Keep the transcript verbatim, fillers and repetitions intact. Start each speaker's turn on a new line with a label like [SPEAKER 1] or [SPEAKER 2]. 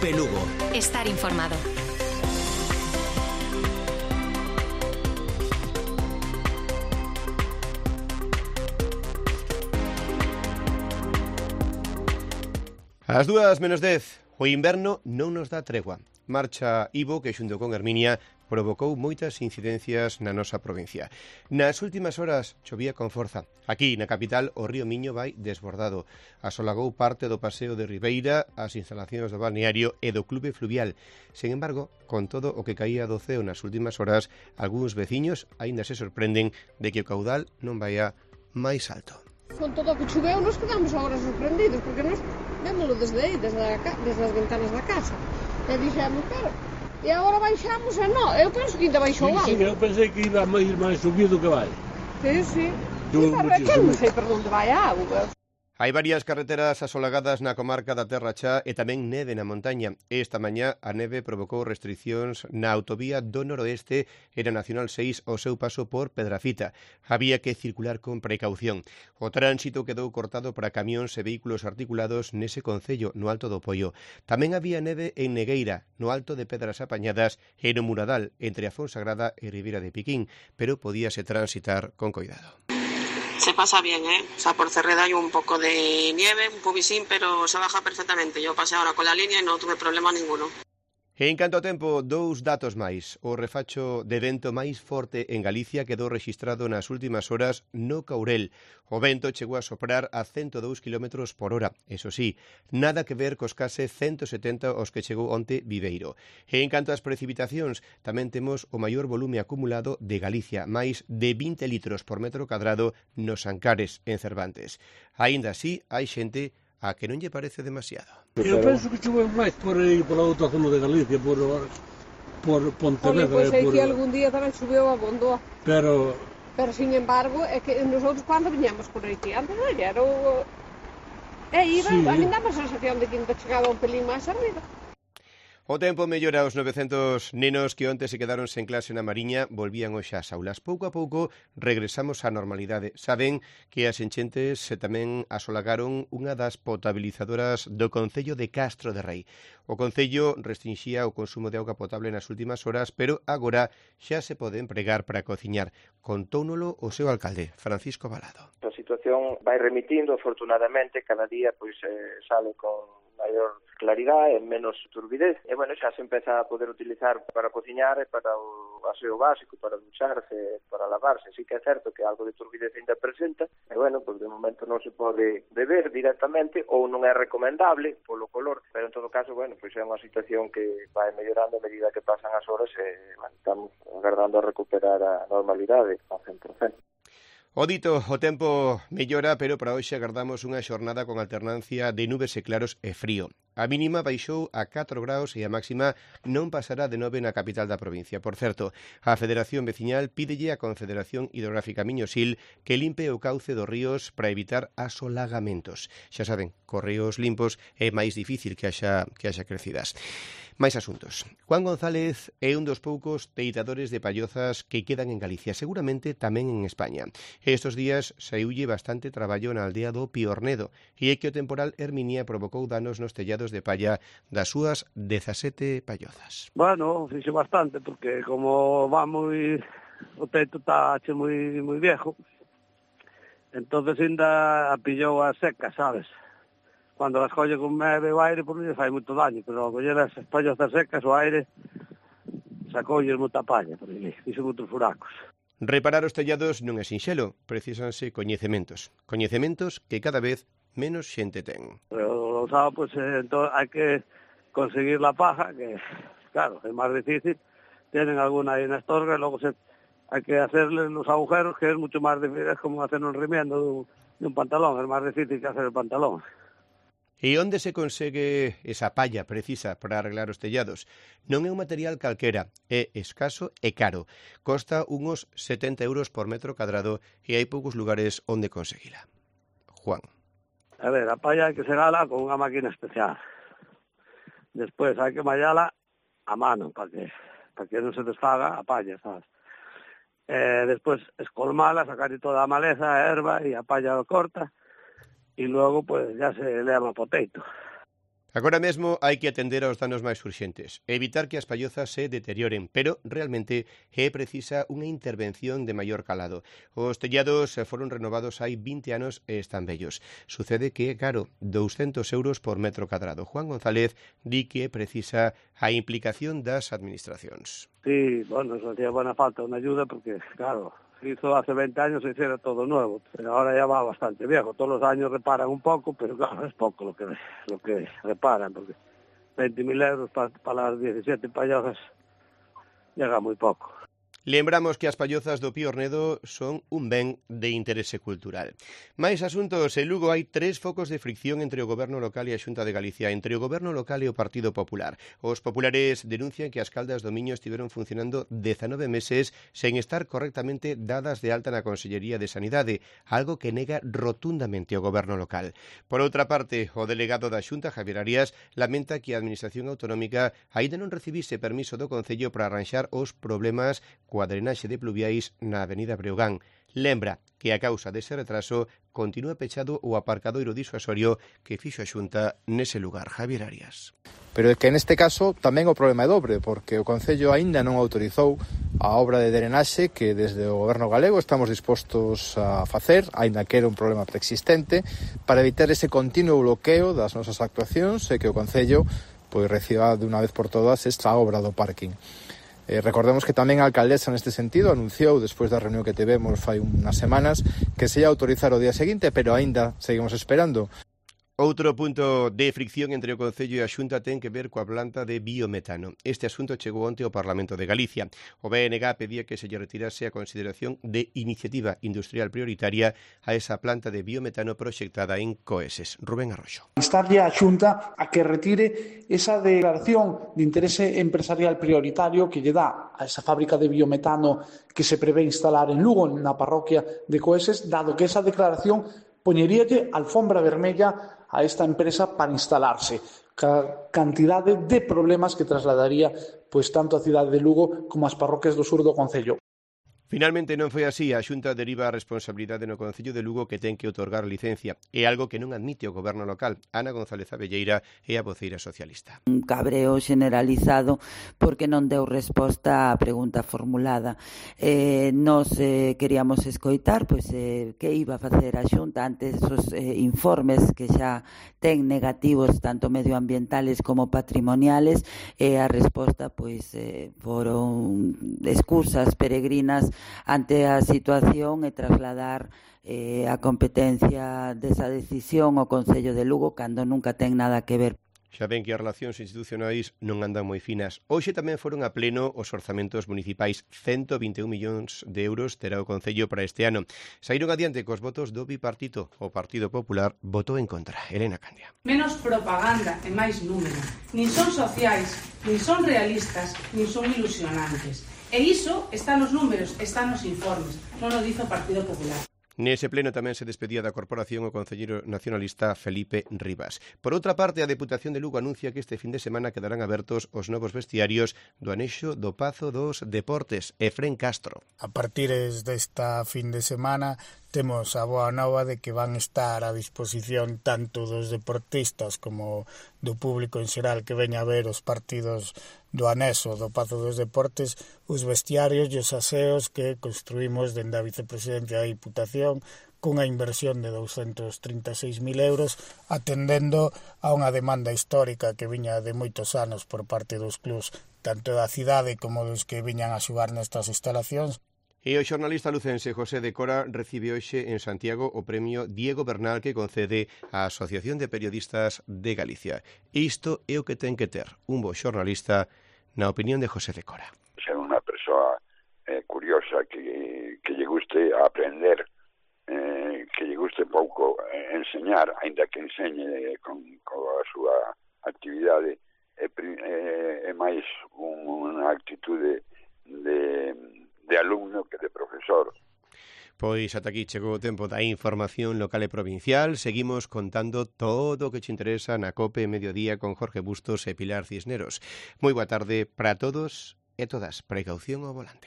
[SPEAKER 1] Cope Lugo.
[SPEAKER 2] Estar informado.
[SPEAKER 3] As dúas menos dez, o inverno non nos dá tregua. Marcha Ivo, que xunto con Herminia provocou moitas incidencias na nosa provincia. Nas últimas horas chovía con forza. Aquí, na capital, o río Miño vai desbordado. Asolagou parte do paseo de Ribeira, as instalacións do balneario e do clube fluvial. Sen embargo, con todo o que caía do ceo nas últimas horas, algúns veciños aínda se sorprenden de que o caudal non vaia máis alto.
[SPEAKER 4] Con todo o que choveu, nos quedamos agora sorprendidos, porque nos vémoslo desde aí, desde, a, desde as ventanas da casa. E dixemos, pero, e agora baixamos, e non, eu penso que ainda baixou algo.
[SPEAKER 5] Sí, sí, eu pensei que iba a ir máis subido que vai.
[SPEAKER 4] Sí, sí. Sí, pero que non sei por onde vai a auga.
[SPEAKER 3] Hai varias carreteras asolagadas na comarca da Terra Chá e tamén neve na montaña. Esta mañá a neve provocou restricións na autovía do noroeste e na Nacional seis ao seu paso por Pedrafita. Había que circular con precaución. O tránsito quedou cortado para camións e vehículos articulados nese concello, no Alto do Poio. Tamén había neve en Negueira, no Alto de Pedras Apañadas e no Muradal, entre a Fonsagrada e Ribeira de Piquín, pero podíase transitar con cuidado.
[SPEAKER 6] Se pasa bien, ¿eh? O sea, por Cerreda hay un poco de nieve, un pubisín, pero se baja perfectamente. Yo pasé ahora con la línea y no tuve problema ninguno.
[SPEAKER 3] En canto ao tempo, dous datos máis. O refacho de vento máis forte en Galicia quedou rexistrado nas últimas horas no Caurel. O vento chegou a soprar a ciento dous kilómetros por hora. Eso sí, nada que ver cos case ciento setenta aos que chegou onte Viveiro. E en canto ás precipitacións, tamén temos o maior volume acumulado de Galicia, máis de vinte litros por metro cadrado nos Ancares, en Cervantes. Aínda así, hai xente a que non lle parece demasiado.
[SPEAKER 5] Eu penso que choveu máis por aí, por a outra zona de Galicia, por, por Pontevedra.
[SPEAKER 4] Olha, pois é
[SPEAKER 5] por...
[SPEAKER 4] que algún día tamén choveu a Bondó.
[SPEAKER 5] Pero...
[SPEAKER 4] Pero, sin embargo, é que nosotros cando viñamos por aquí, antes non era o... E iba, sí. A mí dá a sensación de que ainda chegaba un pelín máis arriba.
[SPEAKER 3] O tempo mellora. Os novecentos nenos que onte se quedaron sen clase na Mariña volvían hoxe ás aulas. Pouco a pouco regresamos á normalidade. Saben que as enchentes tamén asolagaron unha das potabilizadoras do concello de Castro de Rei. O concello restrinxía o consumo de auga potable nas últimas horas, pero agora xa se pode empregar para cociñar. Contóunolo o seu alcalde, Francisco Balado.
[SPEAKER 7] A situación vai remitindo, afortunadamente, cada día pois eh, sale con maior claridade e menos turbidez. E, bueno, xa se empeza a poder utilizar para cociñar e para o aseo básico, para ducharse, para lavarse. Sí que é certo que algo de turbidez ainda presenta, e, bueno, pues de momento non se pode beber directamente ou non é recomendable polo color, pero en todo caso, bueno, pois é unha situación que vai mellorando a medida que pasan as horas e, bueno, estamos agardando a recuperar a normalidade ao cen por cento.
[SPEAKER 3] O dito, o tempo mellora, pero para hoxe agardamos unha xornada con alternancia de nubes e claros e frío. A mínima baixou a catro graus e a máxima non pasará de nove na capital da provincia. Por certo, a Federación Veciñal pídelle á Confederación Hidrográfica Miñosil que limpe o cauce dos ríos para evitar asolagamentos. Xa saben, cos ríos limpos é máis difícil que haxa, que haxa crecidas. Mais asuntos. Juan González é un dos poucos teitadores de pallozas que quedan en Galicia, seguramente tamén en España. Estos días saiulle bastante traballo na aldea do Piornedo e é que o temporal Herminia provocou danos nos tellados de palla das súas dezasete pallozas.
[SPEAKER 8] Bueno, fixe bastante, porque como va moi... o teito está che moi, moi viejo, entonces ainda pillou a seca, sabes? Cando las colle con neve o aire, por non lle fai moito daño, pero ao coller as pallozas secas, o aire sacoulle moita palla, por aí, fixo moitos furacos.
[SPEAKER 3] Reparar os tellados non é sinxelo, precísanse coñecementos. Coñecementos que cada vez menos xente ten.
[SPEAKER 8] Pero, sabe, pues, eh, entón, hai que conseguir la paja, que, claro, é máis difícil. Tienen alguna aí na estorga, e logo se, hai que hacerle los agujeros, que é mucho máis difícil, é como hacer un remiendo de un, de un pantalón, é máis difícil que hacer el pantalón.
[SPEAKER 3] E onde se consegue esa palla precisa para arreglar os tellados? Non é un material calquera, é escaso e caro. Costa unos setenta euros por metro cadrado e hai poucos lugares onde conseguila. Juan.
[SPEAKER 8] A ver, a palla hai que segala con unha máquina especial. Despois hai que mallala a mano para que, para que non se desfaga a palla, sabes? Eh, despois escolmala, sacar toda a maleza, a erva e a palla corta. E logo, pues, ya se leva poteito.
[SPEAKER 3] Agora mesmo hai que atender aos danos máis urxentes, evitar que as pallozas se deterioren, pero realmente é precisa unha intervención de maior calado. Os tellados foron renovados hai vinte anos e están vellos. Sucede que é caro, douscentos euros por metro cadrado. Juan González di que precisa a implicación das administracións.
[SPEAKER 8] Sí, bueno, nos hacía buena falta unha ayuda porque, claro, hizo hace veinte años se hiciera todo nuevo, pero ahora ya va bastante viejo. Todos los años reparan un poco, pero claro, es poco lo que lo que reparan, porque veinte mil euros para, para las diecisiete pallozas llega muy poco.
[SPEAKER 3] Lembramos que as pallozas do Pío Ornedo son un ben de interese cultural. Mais asuntos, en Lugo hai tres focos de fricción entre o Goberno local e a Xunta de Galicia, entre o Goberno local e o Partido Popular. Os populares denuncian que as caldas do Miño estiveron funcionando dezanove meses sen estar correctamente dadas de alta na Consellería de Sanidade, algo que nega rotundamente o Goberno local. Por outra parte, o delegado da Xunta, Javier Arias, lamenta que a Administración Autonómica aínda non recibise permiso do Concello para arranxar os problemas coa drenaxe de pluviais na Avenida Breogán. Lembra que a causa dese retraso continúa pechado o aparcadoiro disuasorio que fixo a Xunta nese lugar. Javier Arias.
[SPEAKER 1] Pero é que neste caso tamén o problema é dobre, porque o Concello aínda non autorizou a obra de drenaxe que desde o Goberno galego estamos dispostos a facer, aínda que era un problema preexistente, para evitar ese continuo bloqueo das nosas actuacións e que o Concello pois reciba de unha vez por todas esta obra do parking. Eh, recordemos que tamén a alcaldesa neste sentido anunciou despois da reunión que tivemos fai unhas semanas que se ia autorizar o día seguinte, pero aínda seguimos esperando.
[SPEAKER 3] Outro punto de fricción entre o Concello e a Xunta ten que ver coa planta de biometano. Este asunto chegou onte ao Parlamento de Galicia. O B N G pedía que se lle retirase a consideración de iniciativa industrial prioritaria a esa planta de biometano proxectada en Coeses. Rubén Arroxo.
[SPEAKER 2] Instarlle a Xunta a que retire esa declaración de interese empresarial prioritario que lle dá a esa fábrica de biometano que se prevé instalar en Lugo, na parroquia de Coeses, dado que esa declaración poñeríalle alfombra vermella a esta empresa para instalarse. Ca cantidade de problemas que trasladaría pois tanto a cidade de Lugo como as parroquias do sur do concello.
[SPEAKER 3] Finalmente non foi así, a Xunta deriva a responsabilidade no Concello de Lugo que ten que outorgar licencia. É algo que non admite o Goberno local. Ana González Abelleira é a voceira socialista.
[SPEAKER 9] Un cabreo generalizado porque non deu resposta á pregunta formulada. Eh, nos eh, queríamos escoitar pois, eh, que iba a facer a Xunta ante esos eh, informes que xa ten negativos tanto medioambientales como patrimoniales e a resposta pois eh, foron excusas peregrinas ante a situación e trasladar eh, a competencia desa decisión ao Concello de Lugo cando nunca ten nada que ver.
[SPEAKER 3] Xa ven que as relacións institucionais non andan moi finas. Hoxe tamén foron a pleno os orzamentos municipais. ciento vinte e un millóns de euros terá o Concello para este ano. Saíron adiante cos votos do bipartito. O Partido Popular votou en contra. Elena Candia.
[SPEAKER 10] Menos propaganda e máis número. Nin son sociais, nin son realistas, nin son ilusionantes. E iso está nos números, está nos informes, non o dice o Partido Popular.
[SPEAKER 3] Nese pleno tamén se despedía da corporación o concelleiro nacionalista Felipe Rivas. Por outra parte, a Deputación de Lugo anuncia que este fin de semana quedarán abertos os novos vestiarios do anexo do Pazo dos Deportes, Efrén Castro.
[SPEAKER 11] A partir desta fin de semana temos a boa nova de que van estar a disposición tanto dos deportistas como do público en xeral que veña a ver os partidos do anexo do Pazo dos Deportes, os vestiarios e os aseos que construímos dende a vicepresidencia da Diputación cunha inversión de douscentos trinta e seis mil euros atendendo a unha demanda histórica que viña de moitos anos por parte dos clubs tanto da cidade como dos que viñan a xogar nestas instalacións.
[SPEAKER 3] E o xornalista lucense José de Cora recibe hoxe en Santiago o premio Diego Bernal que concede a Asociación de Periodistas de Galicia. Isto é o que ten que ter un bo xornalista na opinión de José de Cora.
[SPEAKER 12] Ser unha persoa eh, curiosa que, que lle guste aprender, eh, que lle guste pouco eh, enseñar, aínda que enseñe con, con a súa actividade, é, é, é máis un, unha actitude de... de alumno que de profesor.
[SPEAKER 3] Pois ata aquí chegou o tempo da información local e provincial. Seguimos contando todo o que che interesa na COPE Mediodía con Jorge Bustos e Pilar Cisneros. Moi boa tarde para todos e todas. Precaución ao volante.